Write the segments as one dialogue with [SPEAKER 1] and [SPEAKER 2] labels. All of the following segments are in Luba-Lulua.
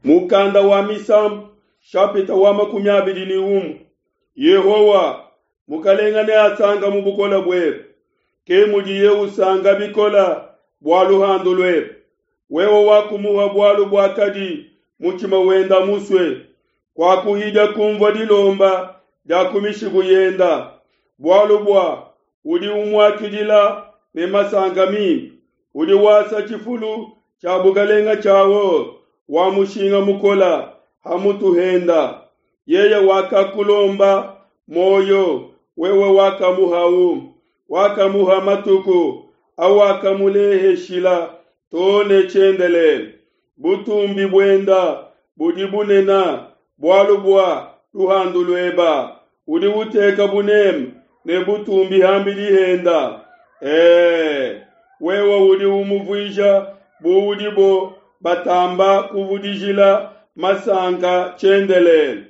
[SPEAKER 1] Mukanda wa Misambu, shapita wa 21. Yehowa, Mukalenga neasanka mu bukola buebe, ke mudiye usanka bikola bua luhandu luebe. Wewe wakumuha bualu buakadi mutshima wenda musue, kuakuhidia kumvua dilomba dia ku mishiku yenda, bualu bua udi umuakidila ne masanka mimpe, udi wasa tshifulu tshia bukalenga tshia or wa mushinga mukola ha mutu henda. Yeye wakakulomba muoyo, wewe wakamuhawu, wakamuha matuku awakamuleheshila too ne tshiendelele. Butumbi buenda budi bunena bualu bua luhandu lueba, udi uteka buneme ne butumbi hambidi henda. Ee, wewe udi umuvuija bu udibo batamba kuvudijila masanka tshiendelele.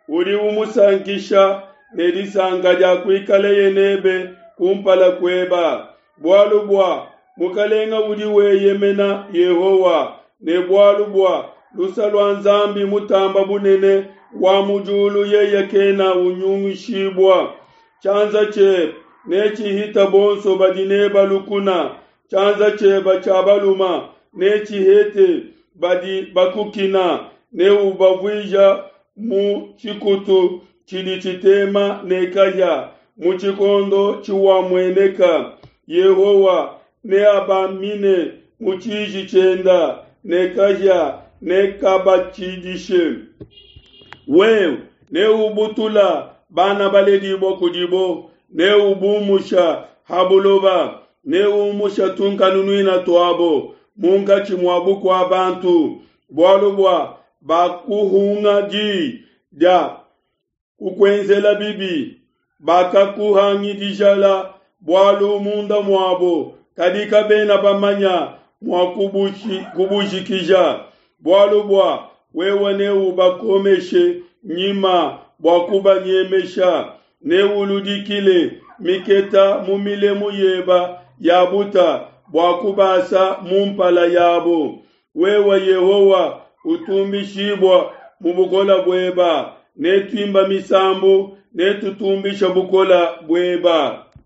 [SPEAKER 1] Udi umusankisha ne disanka dia kuikaleye nebe kumpala kueba, bualu bua Mukalenga udi weyemena Yehowa, ne bualu bua lusa lua Nzambi mutamba bunene wa mu diulu yeye kena unyungishibua. Tshianza tshiebe netshihita bonso badi neba lukuna, tshianza tshiebe tshia baluma netshihete badi bakukina, neubavuija mu tshikutu tshidi tshitema ne kahia mu tshikondo tshiwamueneka. Yehowa neabamine mu tshiji tshienda, ne kahia nekabatshidishe. Wewe neubutula bana baledibua kudibo, neubumusha ha buloba, neumusha tunkanunuina tuabo munkatshi mua bukua bantu, bualu bua bakuhunga di dia kukuenzela bibi, bakakuhangidijala bualu munda muabo, kadi kabena bamanya mua kubujikija. Bualu bua wewe neubakomeshe nyima bua kubanyemesha, neuludikile miketa mu milemu yeba ya buta bua kubasa mu mpala yabo. Wewe Yehowa utumbishibua mu bukola bueba, netuimba misambu, netutumbisha bukola bueba.